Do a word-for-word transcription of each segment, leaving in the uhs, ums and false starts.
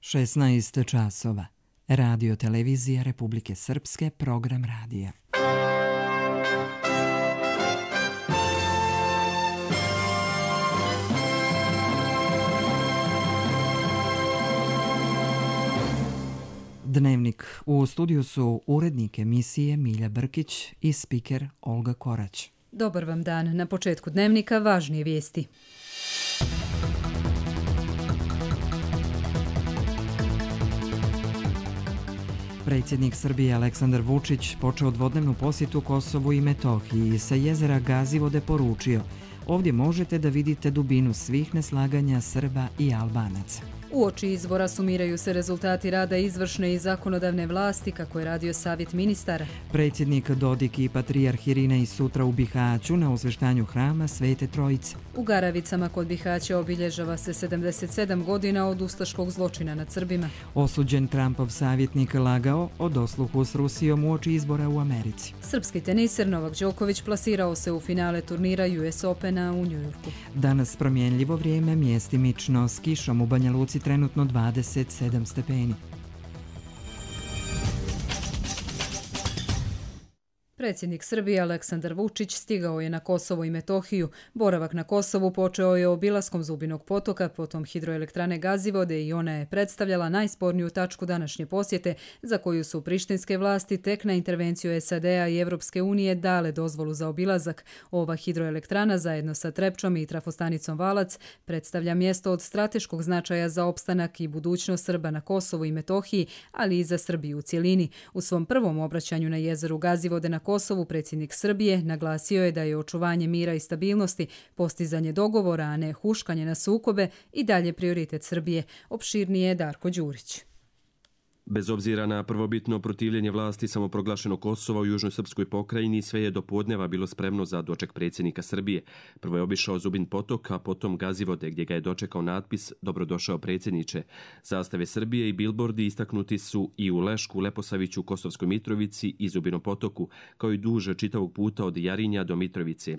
šesnaest časova. Radio Televizija Republike Srpske, program radija. Dnevnik. U studiju su urednik emisije Milja Brkić i spiker Olga Korać. Dobar vam dan. Na početku dnevnika važnije vijesti. Predsjednik Srbije Aleksandar Vučić počeo dvodnevnu posjetu Kosovu i Metohiji i sa jezera Gazivode poručio: ovdje možete da vidite dubinu svih neslaganja Srba i Albanaca. Uoči izbora sumiraju se rezultati rada izvršne i zakonodavne vlasti, kako je radio Savjet ministara. Predsjednik Dodik i patrijarh Irinej sutra u Bihaću na osveštanju hrama Svete Trojice. U Garavicama kod Bihaća obilježava se sedamdeset sedam godina od ustaškog zločina nad Srbima. Osuđen Trumpov savjetnik lagao o dosluhu s Rusijom uoči izbora u Americi. Srpski teniser Novak Đoković plasirao se u finale turnira U S Opena u Njujorku. Danas promjenljivo vrijeme, mjestimično s kišom u Banja Luci trenutno dvadeset sedam stepeni. Predsjednik Srbije Aleksandar Vučić stigao je na Kosovo i Metohiju. Boravak na Kosovu počeo je obilaskom Zubinog potoka, potom hidroelektrane Gazivode i ona je predstavljala najsporniju tačku današnje posjete, za koju su prištinske vlasti tek na intervenciju S A D-a i Evropske unije dale dozvolu za obilazak. Ova hidroelektrana zajedno sa Trepčom i trafostanicom Valac predstavlja mjesto od strateškog značaja za opstanak i budućnost Srba na Kosovu i Metohiji, ali i za Srbiju u cjelini. U svom prvom obraćanju na jezeru Gazivode na Kosovu predsjednik Srbije naglasio je da je očuvanje mira i stabilnosti, postizanje dogovora, a ne huškanje na sukobe i dalje prioritet Srbije. Opširnije je Darko Đurić. Bez obzira na prvobitno protivljenje vlasti samoproglašenog Kosova u južnoj srpskoj pokrajini, sve je do podneva bilo spremno za doček predsjednika Srbije. Prvo je obišao Zubin potok, a potom Gazivode, gdje ga je dočekao natpis "Dobrodošao predsjedniče". Zastave Srbije i bilbordi istaknuti su i u Lešku, Leposaviću, Kosovskoj Mitrovici i Zubinom potoku, kao i duže čitavog puta od Jarinja do Mitrovice.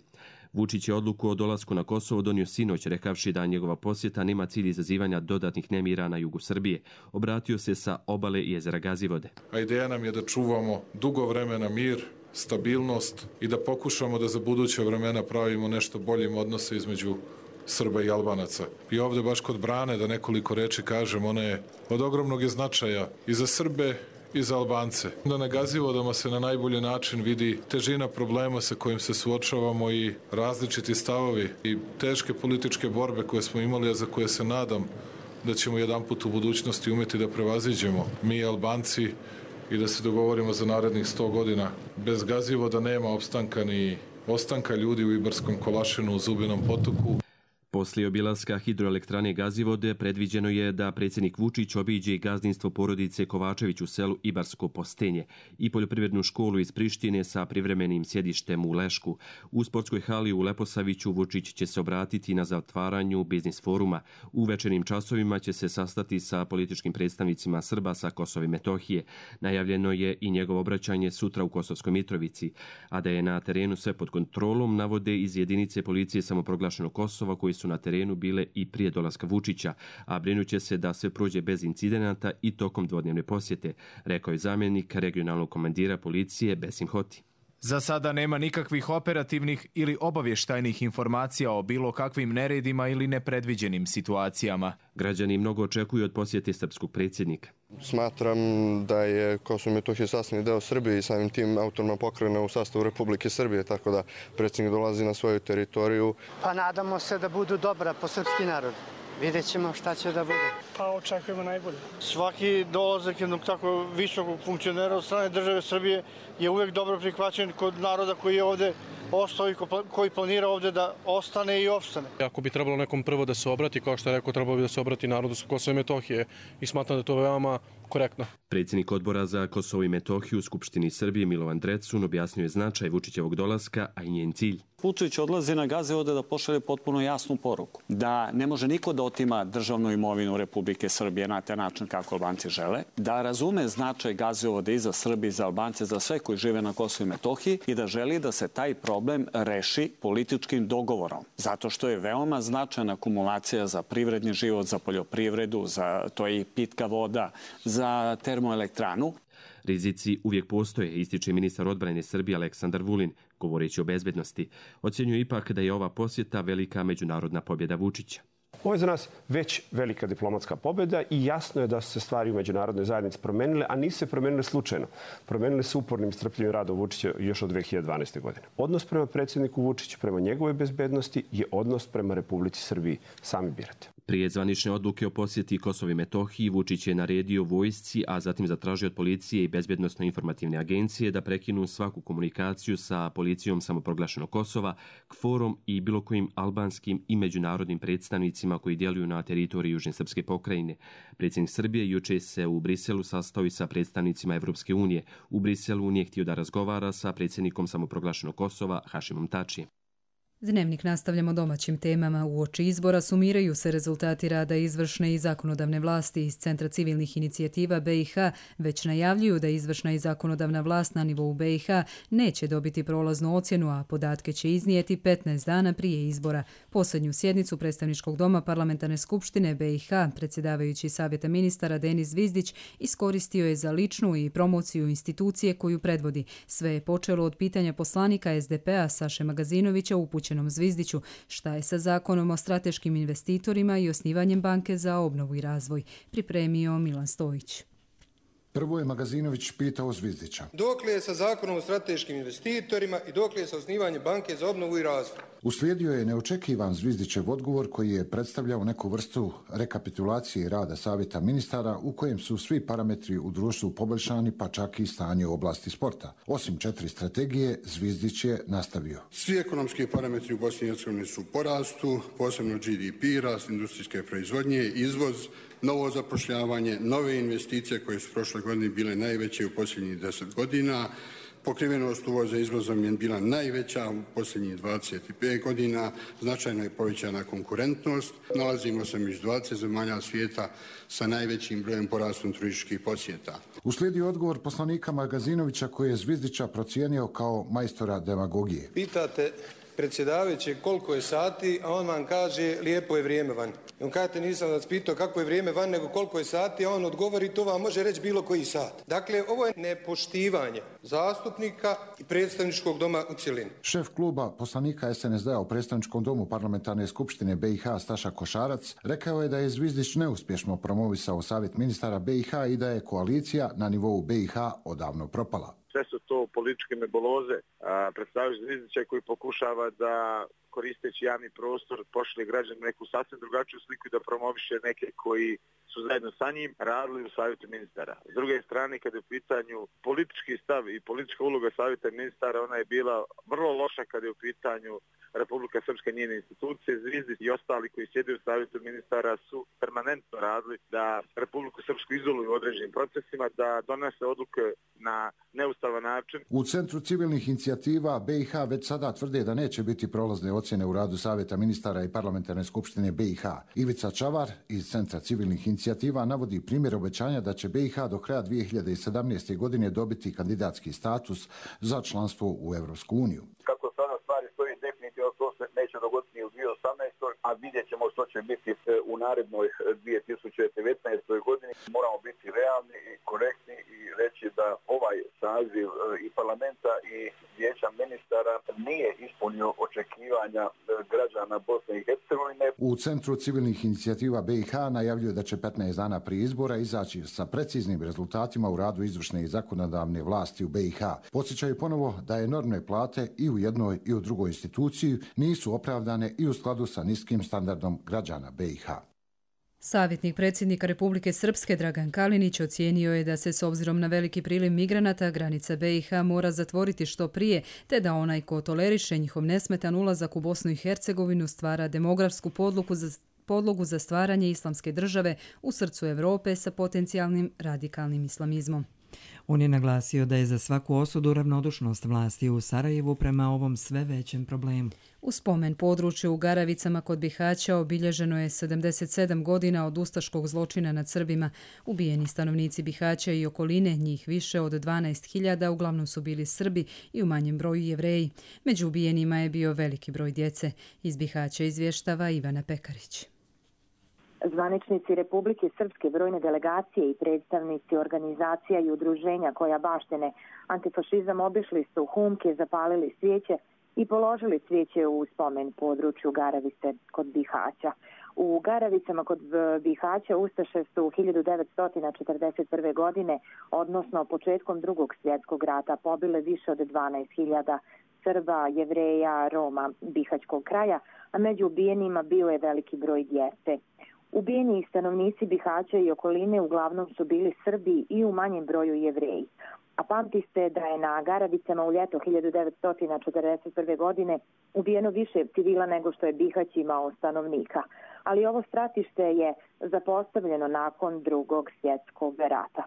Vučić je odluku o dolasku na Kosovo donio sinoć, rekavši da njegova posjeta nema cilj izazivanja dodatnih nemira na jugu Srbije. Obratio se sa obale jezera Gazivode. A ideja nam je da čuvamo dugo vremena mir, stabilnost i da pokušamo da za buduća vremena pravimo nešto boljim odnose između Srba i Albanaca. I ovdje baš kod brane, da nekoliko reči kažem, ona je od ogromnog je značaja i za Srbe i za Albance. Da na Gazivodama se na najbolji način vidi težina problema sa kojim se suočavamo i različiti stavovi i teške političke borbe koje smo imali, a za koje se nadam da ćemo jedanput u budućnosti umjeti da prevaziđemo mi Albanci i da se dogovorimo za narednih sto godina. Bez Gazivoda nema opstanka ni ostanka ljudi u Ibarskom Kolašinu, u Zubinom potoku. Poslije obilaska hidroelektrane Gazivode predviđeno je da predsjednik Vučić obiđe i gazdinstvo porodice Kovačević u selu Ibarsko Postenje i poljoprivrednu školu iz Prištine sa privremenim sjedištem u Lešku. U sportskoj hali u Leposaviću Vučić će se obratiti na zatvaranju biznis foruma. U večernjim časovima će se sastati sa političkim predstavnicima Srba sa Kosova i Metohije. Najavljeno je i njegovo obraćanje sutra u Kosovskoj Mitrovici, a da je na terenu sve pod kontrolom navode iz jedinice policije samoproglašenog Kosova koji su na terenu bile i prije dolaska Vučića, a brinuće se da sve prođe bez incidenata i tokom dvodnevne posjete, rekao je zamjenik regionalnog komandira policije Besim Hoti. Za sada nema nikakvih operativnih ili obavještajnih informacija o bilo kakvim neredima ili nepredviđenim situacijama. Građani mnogo očekuju od posjete srpskog predsjednika. Smatram da je Kosovo i Metohija sastavni deo Srbije i samim tim autonomna pokrajina u sastavu Republike Srbije, tako da predsjednik dolazi na svoju teritoriju. Pa nadamo se da budu dobra po srpski narod. Vidjet ćemo šta će da bude. Pa očekujemo najbolje. Svaki dolazak jednog tako visokog funkcionera od strane države Srbije je uvijek dobro prihvaćen kod naroda koji je ovdje ostao i koji planira ovdje da ostane i opstane. Ako bi trebalo nekom prvo da se obrati, kao što je rekao, trebalo bi da se obrati narodu sa Kosova i Metohije i smatram da je to veoma korektno. Predsjednik odbora za Kosovo i Metohiju u Skupštini Srbije Milovan Drecun objasnio je značaj Vučićevog dolaska, a i njen cilj. Vučić odlazi na Gazivode da pošalje potpuno jasnu poruku. Da ne može niko da otima državnu imovinu Republike Srbije na taj način kako Albanci žele. Da razume značaj Gazivode i za Srbije, i za Albance, za sve koji žive na Kosovu i Metohiji i da želi da se taj problem reši političkim dogovorom. Zato što je veoma značajna akumulacija za privredni život, za poljoprivredu, za to je i pitka voda, za termoelektranu. Rizici uvijek postoje, ističe ministar odbrane Srbije Aleksandar Vulin, govoreći o bezbednosti. Ocjenjuje ipak da je ova posjeta velika međunarodna pobjeda Vučića. Ovo je za nas već velika diplomatska pobjeda i jasno je da su se stvari u međunarodnoj zajednici promenile, a nisu se promenile slučajno. Promenile su upornim i strpljivim radom Vučića još od dve hiljade dvanaeste. godine. Odnos prema predsjedniku Vučiću, prema njegove bezbednosti je odnos prema Republici Srbiji. Sami birate. Prije zvanične odluke o posjeti Kosovo i Metohiji, Vučić je naredio vojsci, a zatim zatražio od policije i bezbednosno-informativne agencije da prekinu svaku komunikaciju sa policijom samoproglašenog Kosova, kforom i bilo kojim albanskim i međunarodnim predstavnicima koji djeluju na teritoriji Južne srpske pokrajine. Predsjednik Srbije juče se u Briselu sastao i sa predstavnicima Evropske unije. U Briselu nije htio da razgovara sa predsjednikom samoproglašenog Kosova Hašimom Tačijem. Dnevnik nastavljamo domaćim temama. Uoči izbora sumiraju se rezultati rada izvršne i zakonodavne vlasti. Iz Centra civilnih inicijativa B i H već najavljuju da izvršna i zakonodavna vlast na nivou B i H neće dobiti prolaznu ocjenu, a podatke će iznijeti petnaest dana prije izbora. Posljednju sjednicu Predstavničkog doma Parlamentarne skupštine B i H predsjedavajući Savjeta ministara Denis Zvizdić iskoristio je za ličnu i promociju institucije koju predvodi. Sve je počelo od pitanja poslanika S D P-a Saše Magazinovića upućenog Zvizdiću šta je sa zakonom o strateškim investitorima i osnivanjem banke za obnovu i razvoj, pripremio Milan Stojić. Prvo je Magazinović pitao Zvizdića. Dokle je sa zakonom o strateškim investitorima i dokle je sa osnivanjem banke za obnovu i razvoj? Uslijedio je neočekivan Zvizdićev odgovor koji je predstavljao neku vrstu rekapitulacije rada Savjeta ministara u kojem su svi parametri u društvu poboljšani, pa čak i stanje u oblasti sporta. Osim četiri strategije, Zvizdić je nastavio. Svi ekonomski parametri u Bosni i Hercegovini su u porastu, posebno G D P, rast industrijske proizvodnje, izvoz, novo zapošljavanje, nove investicije koje su prošle godine bile najveće u posljednjih deset godina. Pokrivenost uvoza izvozom je bila najveća u posljednjih dvadeset pet godina, značajno je povećana konkurentnost. Nalazimo se među dvadeset zemalja svijeta sa najvećim brojem porastom turističkih posjeta. Uslijedio odgovor poslanika Magazinovića koji je Zvizdića procijenio kao majstora demagogije. Pitate predsjedavajući koliko je sati, a on vam kaže lijepo je vrijeme van. I on kažete nisam vas pitao kako je vrijeme van, nego koliko je sati, a on odgovori to vam može reći bilo koji sat. Dakle, ovo je nepoštivanje zastupnika i predstavničkog doma u cjelini. Šef kluba poslanika S N S D-a u predstavničkom domu Parlamentarne skupštine B i H Staša Košarac rekao je da je Zvizdić neuspješno promovisao Savjet ministara B i H i da je koalicija na nivou B i H odavno propala. Sve su to političke nebuloze, predstavljajući Zvizdića koji pokušava da koristeći javni prostor pošle građani neku sasvim drugačiju sliku i da promoviše neke koji su zajedno sa njim radili u Savjetu ministara. S druge strane, kada je u pitanju politički stav i politička uloga Savjeta ministara, ona je bila vrlo loša kada je u pitanju Republika Srpska i njene institucije. Zvizdić i ostali koji sjede u Savjetu ministara su permanentno radili da Republiku Srpsku izoluju u određenim procesima, da donese odluke na neustavan način. U Centru civilnih inicijativa B i H već sada tvrde da neće biti prolazne ocjene u radu Savjeta ministara i Parlamentarne skupštine B i H. Ivica Čavar iz Centra civilnih inicijativa navodi primjer obećanja da će B i H do kraja dvije hiljade sedamnaeste. godine dobiti kandidatski status za članstvo u Evropsku uniju. Kako sada stvari stoji, definitivno to se neće dogoditi ni u dvije hiljade osamnaestoj. a vidjet ćemo što će biti u narednoj dvije tisuće devetnaestoj. godini. Moramo biti realni i korektni i reći da ovaj saziv i parlamenta i vijeća ministara nije ispunio očekivanja građana Bosne i Hercegovine. U Centru civilnih inicijativa B i H najavljuje da će petnaest dana prije izbora izaći sa preciznim rezultatima u radu izvršne i zakonodavne vlasti u B i H. Podsjećaju ponovo da enormne plate i u jednoj i u drugoj instituciji nisu opravdane i u skladu sa niskim standardom građana B i H. Savjetnik predsjednika Republike Srpske Dragan Kalinić ocijenio je da se s obzirom na veliki priliv migranata granica B i H mora zatvoriti što prije, te da onaj ko toleriše njihov nesmetan ulazak u Bosnu i Hercegovinu stvara demografsku podlogu za podlogu za stvaranje islamske države u srcu Evrope sa potencijalnim radikalnim islamizmom. On je naglasio da je za svaku osudu ravnodušnost vlasti u Sarajevu prema ovom sve većem problemu. U spomen području u Garavicama kod Bihaća obilježeno je sedamdeset sedam godina od ustaškog zločina nad Srbima. Ubijeni stanovnici Bihaća i okoline, njih više od dvanaest hiljada, uglavnom su bili Srbi i u manjem broju Jevreji. Među ubijenima je bio veliki broj djece. Iz Bihaća izvještava Ivana Pekarić. Zvaničnici Republike Srpske, brojne delegacije i predstavnici organizacija i udruženja koja baštene antifašizam obišli su humke, zapalili svijeće i položili svijeće u spomen području Garavice kod Bihaća. U Garavicama kod Bihaća ustaše su hiljadu devetsto četrdeset prve. godine, odnosno početkom drugog svjetskog rata, pobile više od dvanaest hiljada Srba, Jevreja, Roma bihaćkog kraja, a među ubijenima bio je veliki broj djece. Ubijeni stanovnici Bihaća i okoline uglavnom su bili Srbi i u manjem broju Jevreji. A pamti se da je na Garavicama u ljeto hiljadu devetsto četrdeset prve. godine ubijeno više civila nego što je Bihać imao stanovnika. Ali ovo stratište je zapostavljeno nakon drugog svjetskog rata.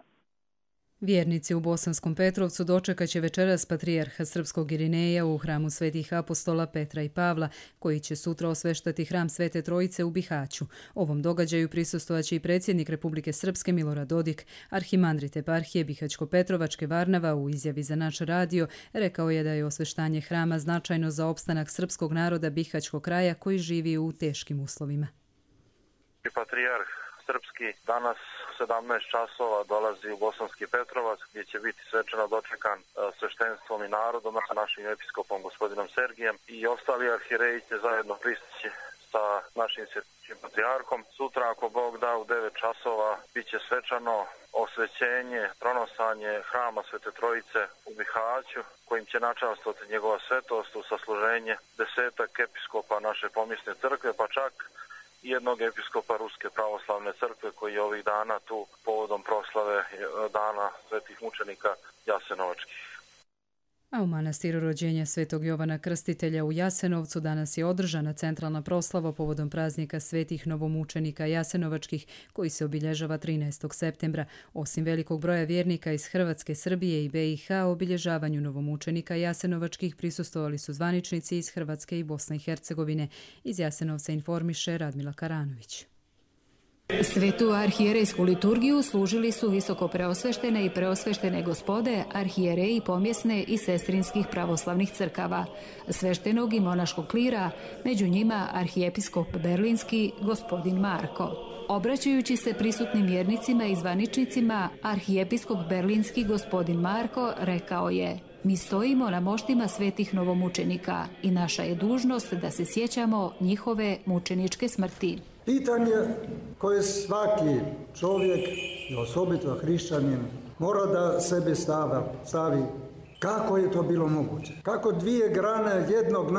Vjernici u Bosanskom Petrovcu dočekat će večeras patrijarha srpskog Irineja u hramu svetih apostola Petra i Pavla, koji će sutra osveštati hram Svete Trojice u Bihaću. Ovom događaju prisustvovaće i predsjednik Republike Srpske Milorad Dodik. Arhimandrit eparhije Bihaćko-Petrovačke Varnava u izjavi za naš radio rekao je da je osveštanje hrama značajno za opstanak srpskog naroda Bihaćkog kraja koji živi u teškim uslovima. Patrijarh srpski danas sedamnaest časova dolazi u Bosanski Petrovac gdje će biti svečano dočekan sveštenstvom i narodom sa našim episkopom gospodinom Sergijem i ostali arhijereji će zajedno pristići sa našim svjetskim patrijarhom. Sutra, ako Bog da, u devet časova bit će svečano osvećenje, pronosanje hrama Svete Trojice u Bihaću, kojim će načastvovati njegova svetost u sasluženje desetak episkopa naše pomjesne crkve, pa čak jednog episkopa Ruske pravoslavne crkve koji je ovih dana tu povodom proslave dana svetih mučenika Jasenovačkih. A u manastiru rođenja Svetog Jovana Krstitelja u Jasenovcu danas je održana centralna proslava povodom praznika svetih novomučenika Jasenovačkih koji se obilježava trinaestog septembra. Osim velikog broja vjernika iz Hrvatske, Srbije i be i ha, obilježavanju novomučenika Jasenovačkih prisustvovali su zvaničnici iz Hrvatske i Bosne i Hercegovine. Iz Jasenovca informiše Radmila Karanović. Svetu arhijerejsku liturgiju služili su visoko preosveštene i preosveštene gospode, arhijereji pomjesne i sestrinskih pravoslavnih crkava, sveštenog i monaškog klira, među njima arhijepiskop berlinski gospodin Marko. Obraćajući se prisutnim vjernicima i zvaničnicima, arhijepiskop berlinski gospodin Marko rekao je: mi stojimo na moštima svetih novomučenika i naša je dužnost da se sjećamo njihove mučeničke smrti. Pitanje koje svaki čovjek, i osobito hrišćanin, mora da sebi stava, stavi kako je to bilo moguće. Kako dvije grane jednog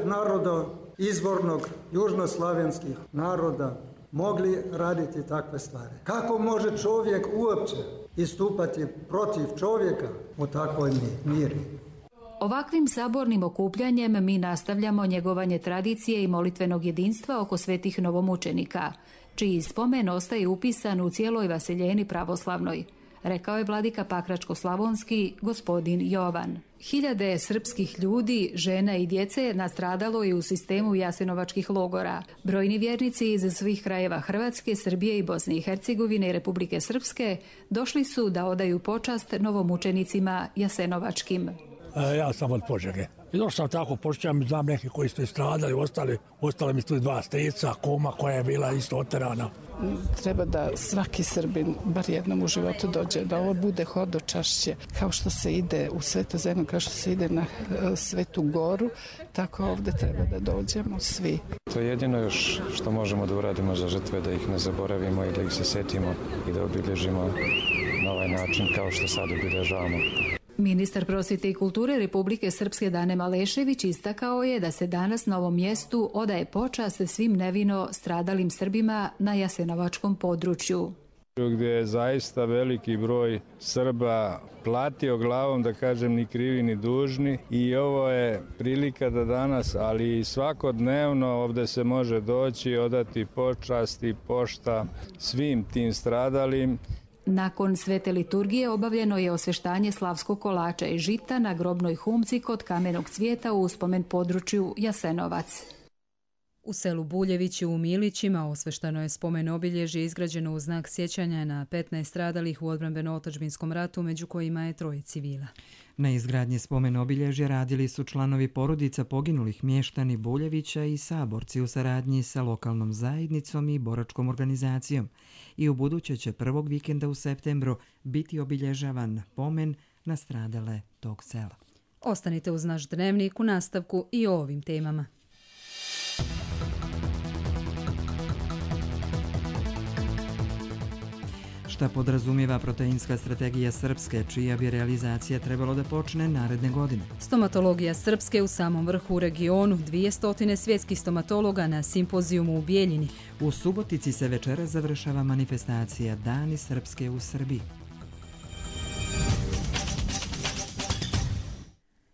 naroda, izvornog južnoslavenskih naroda, mogli raditi takve stvari. Kako može čovjek uopće istupati protiv čovjeka u takvoj miri? Ovakvim sabornim okupljanjem mi nastavljamo njegovanje tradicije i molitvenog jedinstva oko svetih novomučenika, čiji spomen ostaje upisan u cijeloj vaseljeni pravoslavnoj, rekao je vladika Pakračko-slavonski gospodin Jovan. Hiljade srpskih ljudi, žena i djece nastradalo je u sistemu jasenovačkih logora. Brojni vjernici iz svih krajeva Hrvatske, Srbije i Bosne i Hercegovine i Republike Srpske došli su da odaju počast novomučenicima jasenovačkim. Ja sam od Požege. I došao sam tako, počećam, znam neki koji su stradali, ostali, ostali mi tu dva strica, kuma koja je bila isto oterana. Treba da svaki Srbin bar jednom u životu dođe, da ovo bude hodočašće, kao što se ide u Svetu zemlju, kao što se ide na Svetu goru, tako ovdje treba da dođemo svi. To je jedino još što možemo da uradimo za žrtve, da ih ne zaboravimo i da ih se setimo i da obilježimo na ovaj način kao što sad obilježavamo. Ministar prosvjete i kulture Republike Srpske Dane Malešević istakao je da se danas na ovom mjestu odaje počast svim nevino stradalim Srbima na jasenovačkom području. gdje je zaista veliki broj Srba platio glavom, da kažem, ni krivi ni dužni, i ovo je prilika da danas, ali i svakodnevno ovdje se može doći, odati počast i pošta svim tim stradalim. Nakon svete liturgije obavljeno je osveštanje slavskog kolača i žita na grobnoj humci kod Kamenog cvijeta u uspomen području Jasenovac. U selu Buljevići u Milićima osveštano je spomen obilježje izgrađeno u znak sjećanja na petnaest stradalih u odbrambeno-otadžbinskom ratu, među kojima je troje civila. Na izgradnji spomen obilježja radili su članovi porodica poginulih mještani Buljevića i saborci u saradnji sa lokalnom zajednicom i boračkom organizacijom. I u buduće će prvog vikenda u septembru biti obilježavan pomen na stradale tog sela. Ostanite uz naš dnevnik u nastavku i o ovim temama. Šta podrazumijeva proteinska strategija Srpske, čija bi realizacija trebalo da počne naredne godine? Stomatologija Srpske u samom vrhu u regionu, dvije stotine svjetskih stomatologa na simpozijumu u Bijeljini. U Subotici se večera završava manifestacija Dani Srpske u Srbiji.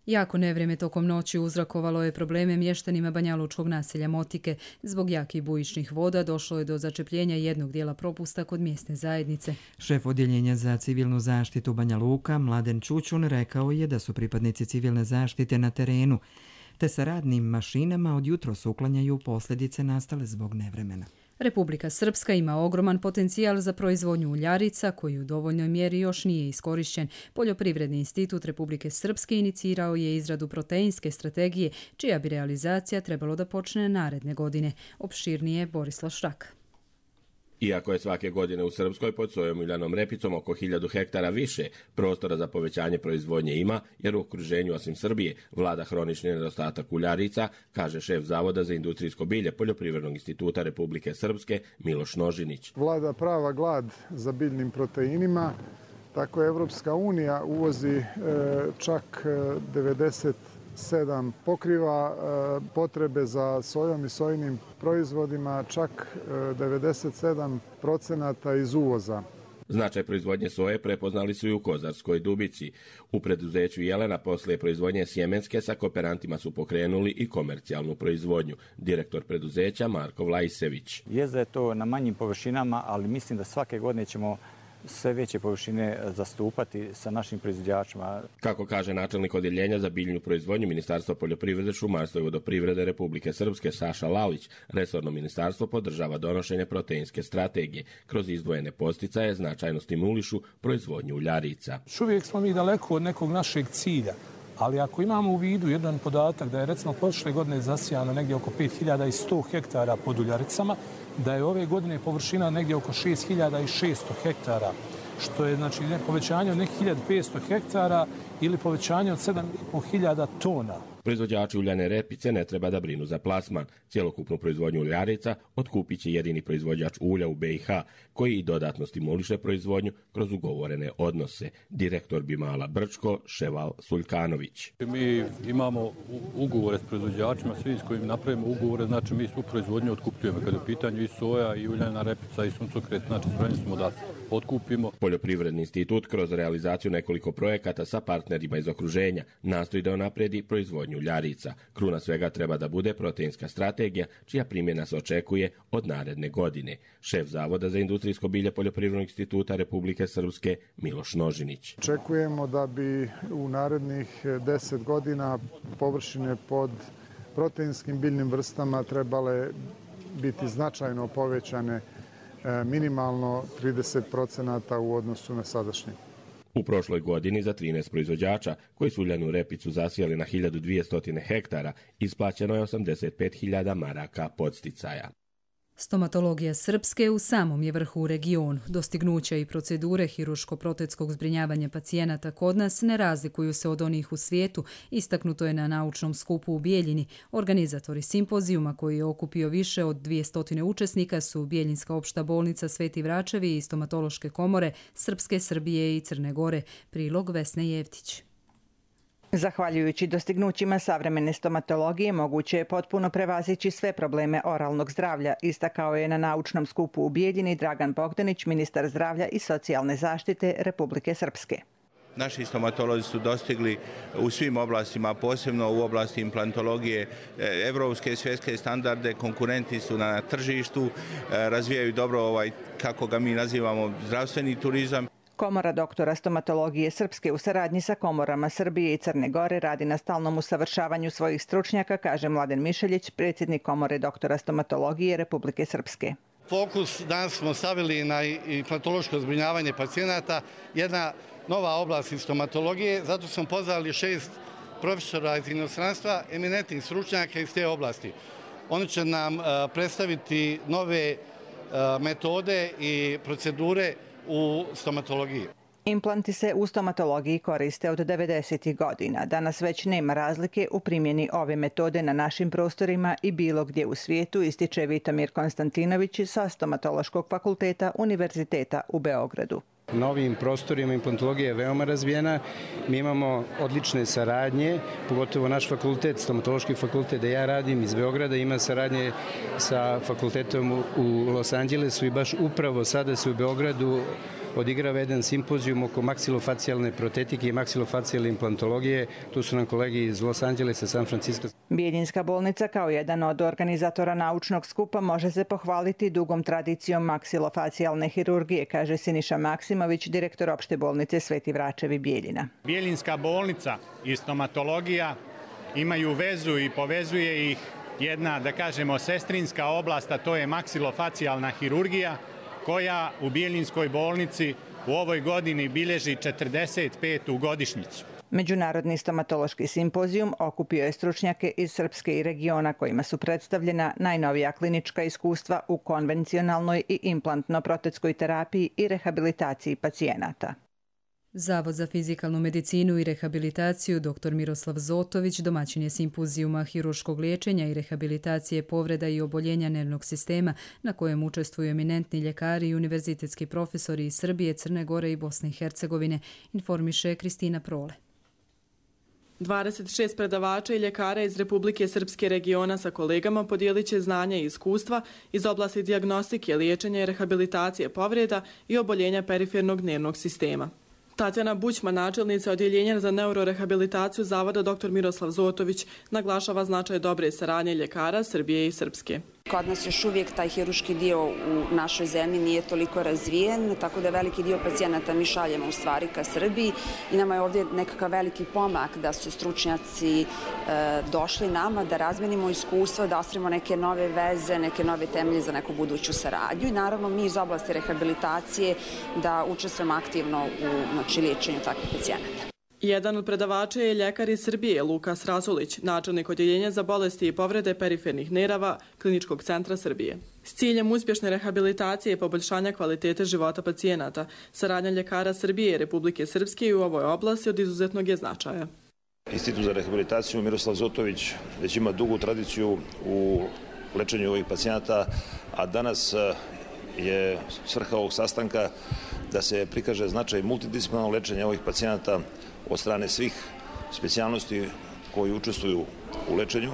Jako nevrijeme tokom noći uzrokovalo je probleme mještanima banjalučkog naselja Motike. Zbog jakih bujičnih voda došlo je do začepljenja jednog dijela propusta kod mjesne zajednice. Šef odjeljenja za civilnu zaštitu Banja Luka, Mladen Čučun, rekao je da su pripadnici civilne zaštite na terenu, te sa radnim mašinama od jutros uklanjaju posljedice nastale zbog nevremena. Republika Srpska ima ogroman potencijal za proizvodnju uljarica koji u dovoljnoj mjeri još nije iskorišćen. Poljoprivredni institut Republike Srpske inicirao je izradu proteinske strategije, čija bi realizacija trebalo da počne naredne godine. Opširnije Borislav Šrak. Iako je svake godine u Srpskoj pod sojom uljanom repicom oko hiljadu hektara više, prostora za povećanje proizvodnje ima, jer u okruženju osim Srbije vlada hronični nedostatak uljarica, kaže šef Zavoda za industrijsko bilje Poljoprivrednog instituta Republike Srpske Miloš Nožinić. Vlada prava glad za biljnim proteinima, tako Evropska unija uvozi e, čak devedeset sedam pokriva e, potrebe za sojom i sojinim proizvodima, čak e, devedeset sedam procenata iz uvoza. Značaj proizvodnje soje prepoznali su i u Kozarskoj Dubici. U preduzeću Jelena poslije proizvodnje sjemenske sa kooperantima su pokrenuli i komercijalnu proizvodnju. Direktor preduzeća Marko Vlajsević. Jest da je to na manjim površinama, ali mislim da svake godine ćemo sve veće površine zastupati sa našim proizvođačima. Kako kaže načelnik odjeljenja za biljnu proizvodnju Ministarstva poljoprivrede, šumarstva i vodoprivrede Republike Srpske Saša Lalić, resorno ministarstvo podržava donošenje proteinske strategije. Kroz izdvojene posticaje značajno stimulišu proizvodnju uljarica. Još uvijek smo mi daleko od nekog našeg cilja, ali ako imamo u vidu jedan podatak da je recimo prošle godine zasijano negdje oko pet hiljada sto hektara pod uljaricama, da je ove godine površina negdje oko šest hiljada šesto hektara, što je znači povećanje od nekih hiljadu petsto hektara ili povećanje od sedam i po hiljada tona. Proizvođači uljane repice ne treba da brinu za plasman. Cjelokupnu proizvodnju uljarica otkupit će jedini proizvođač ulja u be i ha, koji i dodatno stimuliše proizvodnju kroz ugovorene odnose. Direktor Bimala Brčko, Ševal Suljkanović. Mi imamo ugovore s proizvođačima, svi s kojim napravimo ugovore, znači mi svu proizvodnju otkupljujemo. Kada je u pitanju i soja, i uljana repica, i suncokret, znači spremni smo da otkupimo. Poljoprivredni institut kroz realizaciju nekoliko projekata sa partnerima iz okruženja nastoji da unaprijedi proizvodnju uljarica. Kruna svega treba da bude proteinska strategija, čija primjena se očekuje od naredne godine. Šef Zavoda za industrijsko bilje Poljoprivrednog instituta Republike Srpske Miloš Nožinić. Očekujemo da bi u narednih deset godina površine pod proteinskim biljnim vrstama trebale biti značajno povećane, minimalno trideset procenata u odnosu na sadašnje. U prošloj godini za trinaest proizvođača koji su uljanu repicu zasijali na hiljadu dvjesto hektara isplaćeno je osamdeset pet hiljada maraka podsticaja. Stomatologija Srpske u samom je vrhu u regionu. Dostignuća i procedure hiruško-protetskog zbrinjavanja pacijenata kod nas ne razlikuju se od onih u svijetu, istaknuto je na naučnom skupu u Bijeljini. Organizatori simpozijuma, koji je okupio više od dvjesto učesnika, su Bijeljinska opšta bolnica Sveti Vračevi i stomatološke komore Srpske, Srbije i Crne Gore. Prilog Vesne Jevtić. Zahvaljujući dostignućima savremene stomatologije, moguće je potpuno prevazići sve probleme oralnog zdravlja, istakao je na naučnom skupu u Bijeljini Dragan Bogdanić, ministar zdravlja i socijalne zaštite Republike Srpske. Naši stomatolozi su dostigli u svim oblastima, posebno u oblasti implantologije, evropske i svjetske standarde, konkurenti su na tržištu, razvijaju dobro ovaj, kako ga mi nazivamo, zdravstveni turizam. Komora doktora stomatologije Srpske u saradnji sa komorama Srbije i Crne Gore radi na stalnom usavršavanju svojih stručnjaka, kaže Mladen Mišeljić, predsjednik Komore doktora stomatologije Republike Srpske. Fokus danas smo stavili na implantološko zbrinjavanje pacijenata, jedna nova oblast iz stomatologije, zato smo pozvali šest profesora iz inostranstva, eminentnih stručnjaka iz te oblasti. Oni će nam predstaviti nove metode i procedure u stomatologiji. Implanti se u stomatologiji koriste od devedesetih godina. Danas već nema razlike u primjeni ove metode na našim prostorima i bilo gdje u svijetu, ističe Vitomir Konstantinović sa Stomatološkog fakulteta Univerziteta u Beogradu. Na ovim prostorima implantologija je veoma razvijena. Mi imamo odlične saradnje, pogotovo naš fakultet, stomatološki fakultet da ja radim iz Beograda, ima saradnje sa fakultetom u Los Angelesu i baš upravo sada se u Beogradu odigrava jedan simpozijum oko maksilofacijalne protetike i maksilofacijalne implantologije. Tu su nam kolegi iz Los Angelesa, San Francisco. Bijeljinska bolnica kao jedan od organizatora naučnog skupa može se pohvaliti dugom tradicijom maksilofacijalne hirurgije, kaže Siniša Maksimović, direktor opšte bolnice Sveti Vračevi Bijeljina. Bijeljinska bolnica i stomatologija imaju vezu i povezuje ih jedna, da kažemo, sestrinska oblast, a to je maksilofacijalna hirurgija, koja u Bijeljinskoj bolnici u ovoj godini bilježi četrdeset petu godišnjicu. Međunarodni stomatološki simpozijum okupio je stručnjake iz Srpske i regiona kojima su predstavljena najnovija klinička iskustva u konvencionalnoj i implantno-protetskoj terapiji i rehabilitaciji pacijenata. Zavod za fizikalnu medicinu i rehabilitaciju dr Miroslav Zotović domaćin je simpozijuma hirurškog liječenja i rehabilitacije povreda i oboljenja nervnog sistema na kojem učestvuju eminentni ljekari i univerzitetski profesori iz Srbije, Crne Gore i Bosne i Hercegovine, informiše Kristina Prole. dvadeset šest predavača i ljekara iz Republike Srpske regiona sa kolegama podijelit će znanja i iskustva iz oblasti dijagnostike, liječenja i rehabilitacije povreda i oboljenja perifernog nervnog sistema. Tatjana Bućman, načelnica odjeljenja za neurorehabilitaciju Zavoda dr Miroslav Zotović, naglašava značaj dobre saradnje ljekara Srbije i Srpske. Kod nas još uvijek taj hirurški dio u našoj zemlji nije toliko razvijen, tako da veliki dio pacijenata mi šaljemo u stvari ka Srbiji i nama je ovdje nekakav veliki pomak da su stručnjaci e, došli nama, da razmenimo iskustva, da ostavimo neke nove veze, neke nove temelje za neku buduću saradnju i naravno mi iz oblasti rehabilitacije da učestvujemo aktivno u znači, liječenju takvih pacijenata. Jedan od predavača je ljekar iz Srbije, Lukas Rasulić, načelnik odjeljenja za bolesti i povrede perifernih nerava Kliničkog centra Srbije. S ciljem uspješne rehabilitacije i poboljšanja kvalitete života pacijenata, saradnja ljekara Srbije i Republike Srpske u ovoj oblasti od izuzetnog je značaja. Institut za rehabilitaciju Miroslav Zotović već ima dugu tradiciju u lečenju ovih pacijenata, a danas je svrha ovog sastanka da se prikaže značaj multidisciplinarnog lečenja ovih pacijenata od strane svih specijalnosti koji učestvuju u lečenju.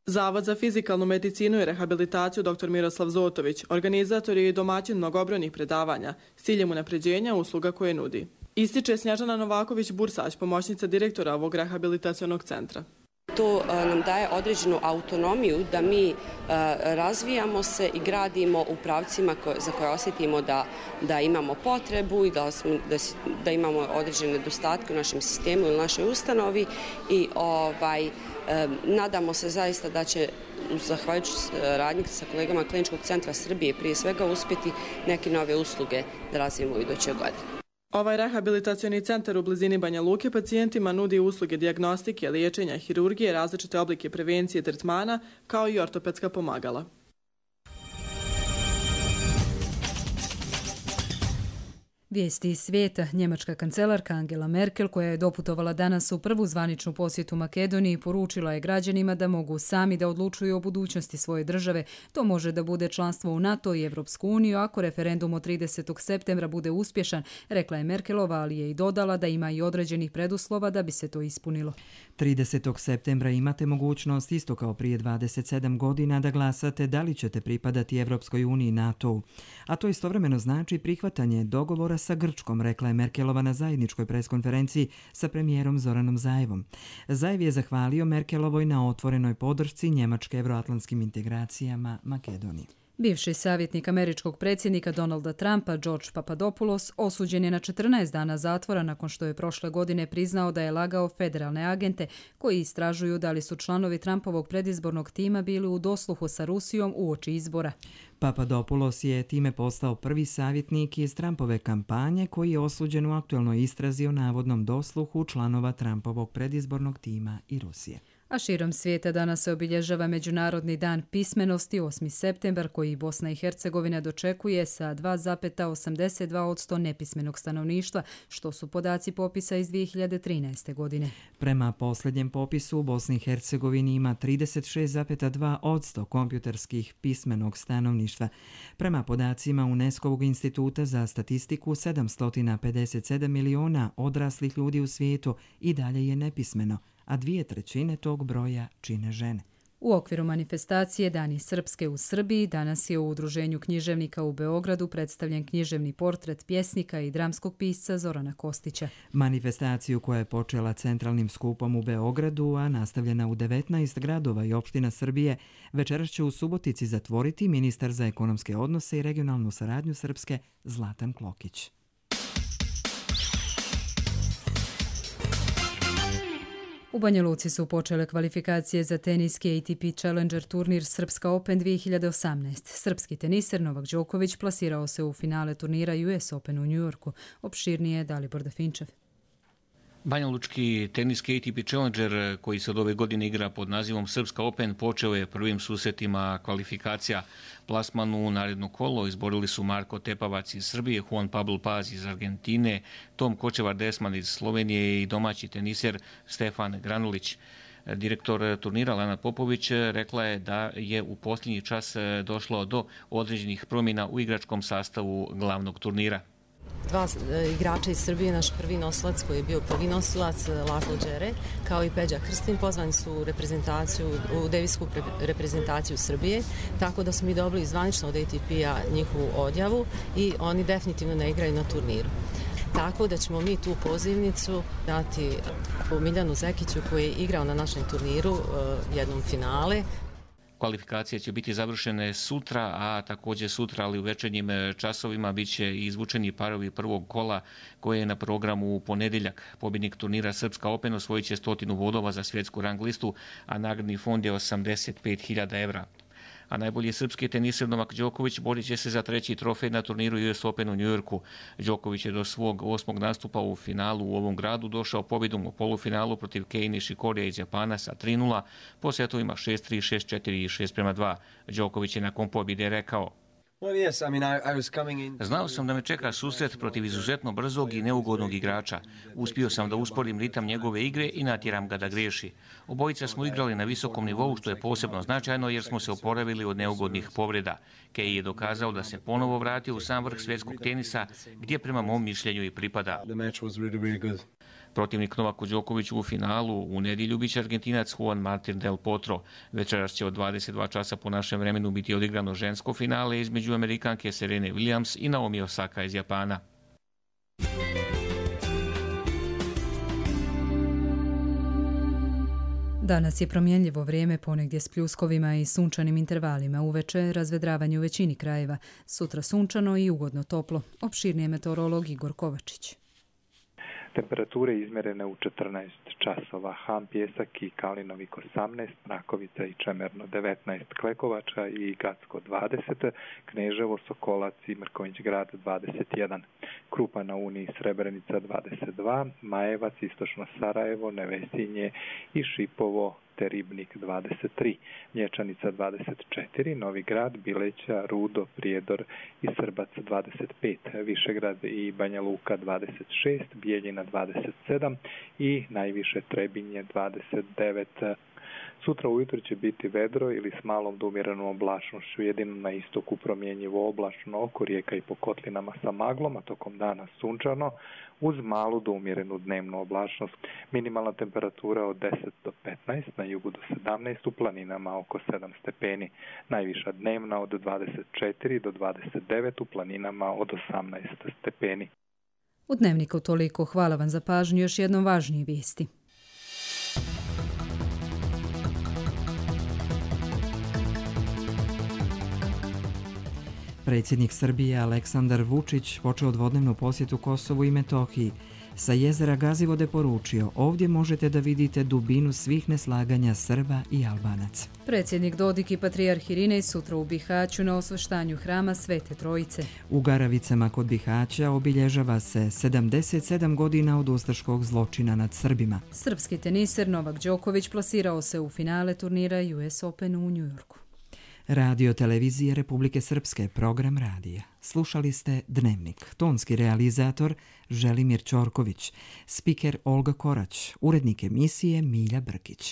Zavod za fizikalnu medicinu i rehabilitaciju dr Miroslav Zotović organizator je i domaćin mnogobrojnih predavanja s ciljem unapređenja usluga koje nudi. Ističe Snježana Novaković-Bursać, pomoćnica direktora ovog rehabilitacionog centra. To nam daje određenu autonomiju da mi razvijamo se i gradimo u pravcima za koje osjetimo da, da imamo potrebu i da, smo, da, da imamo određene nedostatke u našem sistemu ili našoj ustanovi i ovaj, nadamo se zaista da će, zahvaljujući radnji sa kolegama Kliničkog centra Srbije, prije svega uspjeti neke nove usluge da razvijemo u idućoj godini. Ovaj rehabilitacioni centar u blizini Banja Luke pacijentima nudi usluge dijagnostike, liječenja, hirurgije, različite oblike prevencije tretmana, kao i ortopedska pomagala. Vijesti iz svijeta. Njemačka kancelarka Angela Merkel, koja je doputovala danas u prvu zvaničnu posjetu Makedoniji, poručila je građanima da mogu sami da odlučuju o budućnosti svoje države. To može da bude članstvo u NATO i Evropsku uniju ako referendum od tridesetog septembra bude uspješan, rekla je Merkelova, ali je i dodala da ima i određenih preduslova da bi se to ispunilo. tridesetog septembra imate mogućnost, isto kao prije dvadeset sedam godina, da glasate da li ćete pripadati Evropskoj uniji i NATO-u. A to istovremeno znači prihvatanje dogovora sa Grčkom, rekla je Merkelova na zajedničkoj preskonferenciji sa premijerom Zoranom Zaevom. Zaev je zahvalio Merkelovoj na otvorenoj podršci Njemačke evroatlantskim integracijama Makedoniji. Bivši savjetnik američkog predsjednika Donalda Trumpa, George Papadopoulos, osuđen je na četrnaest dana zatvora nakon što je prošle godine priznao da je lagao federalne agente koji istražuju da li su članovi Trumpovog predizbornog tima bili u dosluhu sa Rusijom uoči izbora. Papadopoulos je time postao prvi savjetnik iz Trumpove kampanje koji je osuđen u aktuelnoj istrazi o navodnom dosluhu članova Trumpovog predizbornog tima i Rusije. A širom svijeta danas se obilježava Međunarodni dan pismenosti, osmi septembar, koji Bosna i Hercegovina dočekuje sa dva zarez osamdeset dva posto nepismenog stanovništva, što su podaci popisa iz dvije hiljade trinaeste. godine. Prema posljednjem popisu u Bosni i Hercegovini ima trideset šest zarez dva posto kompjuterskih pismenog stanovništva. Prema podacima UNESCO-vog instituta za statistiku, sedamsto pedeset sedam miliona odraslih ljudi u svijetu i dalje je nepismeno, a dvije trećine tog broja čine žene. U okviru manifestacije Dani Srpske u Srbiji danas je u Udruženju književnika u Beogradu predstavljen književni portret pjesnika i dramskog pisca Zorana Kostića. Manifestaciju koja je počela centralnim skupom u Beogradu, a nastavljena u devetnaest gradova i opština Srbije, večeras će u Subotici zatvoriti ministar za ekonomske odnose i regionalnu saradnju Srpske Zlatan Klokić. U Banja Luci su počele kvalifikacije za teniski A T P Challenger turnir Srpska Open dvije hiljade osamnaest. Srpski teniser Novak Đoković plasirao se u finale turnira U S Open u Njujorku. Opširnije Dalibor Dafinčev. Banjalučki teniski A T P Challenger, koji se od ove godine igra pod nazivom Srpska Open, počeo je prvim susretima kvalifikacija. Plasman u naredno kolo izborili su Marko Tepavac iz Srbije, Juan Pablo Paz iz Argentine, Tom Kočevar-Desman iz Slovenije i domaći teniser Stefan Granulić. Direktor turnira Lana Popović rekla je da je u posljednji čas došlo do određenih promjena u igračkom sastavu glavnog turnira. Dva igrača iz Srbije, naš prvi nosilac koji je bio prvi nosilac, Laslo Đere, kao i Peđa Krstin, pozvani su u reprezentaciju, u devisku reprezentaciju Srbije, tako da smo mi dobili zvanično od A T P-a njihovu odjavu i oni definitivno ne igraju na turniru. Tako da ćemo mi tu pozivnicu dati Miljanu Zekiću koji je igrao na našem turniru jednom finale. Kvalifikacije će biti završene sutra, a također sutra, ali u večernjim časovima, bit će i izvučeni parovi prvog kola koje je na programu u ponedjeljak. Pobjednik turnira Srpska Open osvojit će stotinu bodova za svjetsku rang listu, a nagradni fond je osamdeset pet hiljada evra. A najbolji srpski teniser Novak Đoković borit će se za treći trofej na turniru U S Open u Njujorku. Đoković je do svog osmog nastupa u finalu u ovom gradu došao pobjedom u polufinalu protiv Kei Nishikorija iz Japana sa tri nula, po setovima šest tri, šest četiri i šest prema dva. Đoković je nakon pobjede rekao: Znao sam da me čeka susret protiv izuzetno brzog i neugodnog igrača. Uspio sam da usporim ritam njegove igre i natjeram ga da griješi. Obojica smo igrali na visokom nivou, što je posebno značajno jer smo se oporavili od neugodnih povreda. Kei je dokazao da se ponovo vratio u sam vrh svjetskog tenisa, gdje prema mom mišljenju i pripada. Protivnik Novaku Đokoviću u finalu u nedjelju biće Argentinac Juan Martín del Potro. Večeras će od dvadeset dva časa po našem vremenu biti odigrano žensko finale između Amerikanke Serene Williams i Naomi Osaka iz Japana. Danas je promjenljivo vrijeme, ponegdje s pljuskovima i sunčanim intervalima. Uveče razvedravanje u većini krajeva. Sutra sunčano i ugodno toplo. Opširnije meteorolog Igor Kovačić. Temperature izmjerene u četrnaest časova, Ham, Pjesak i Kalinovik osamnaest, Mrakovica i Čemerno devetnaest, Klekovača i Gacko dvadeset, Kneževo, Sokolac i Mrkonjić grad dvadeset jedan, Krupa na Uni i Srebrenica dvadeset dva, Majevac, Istočno Sarajevo, Nevesinje i Šipovo te Ribnik dvadeset tri, Mlječanica dvadeset četiri, Novi Grad, Bileća, Rudo, Prijedor i Srbac dvadeset pet, Višegrad i Banja Luka dvadeset šest, Bijeljina dvadeset sedam i najviše Trebinje dvadeset devet. Sutra ujutro će biti vedro ili s malom do umjerenom oblačnošću, jedino na istoku promjenjivo oblačno, oko rijeka i po kotlinama sa maglom, a tokom dana sunčano, uz malu do umjerenu dnevnu oblačnost. Minimalna temperatura od deset do petnaest, na jugu do sedamnaest, u planinama oko sedam stepeni. Najviša dnevna od dvadeset četiri do dvadeset devet, u planinama od osamnaest stepeni. U Dnevniku toliko. Hvala vam za pažnju. Još jednom važnije vijesti. Predsjednik Srbije Aleksandar Vučić počeo dvodnevnu posjetu Kosovu i Metohiji. Sa jezera Gazivode poručio, ovdje možete da vidite dubinu svih neslaganja Srba i Albanaca. Predsjednik Dodik i patrijarh Irinej sutra u Bihaću na osveštanju hrama Svete Trojice. U Garavicama kod Bihaća obilježava se sedamdeset sedam godina od ustaškog zločina nad Srbima. Srpski teniser Novak Đoković plasirao se u finale turnira U S Open u Njujorku. Radio televizije Republike Srpske, program radija. Slušali ste Dnevnik. Tonski realizator Želimir Ćorković, spiker Olga Korać, urednik emisije Milja Brkić.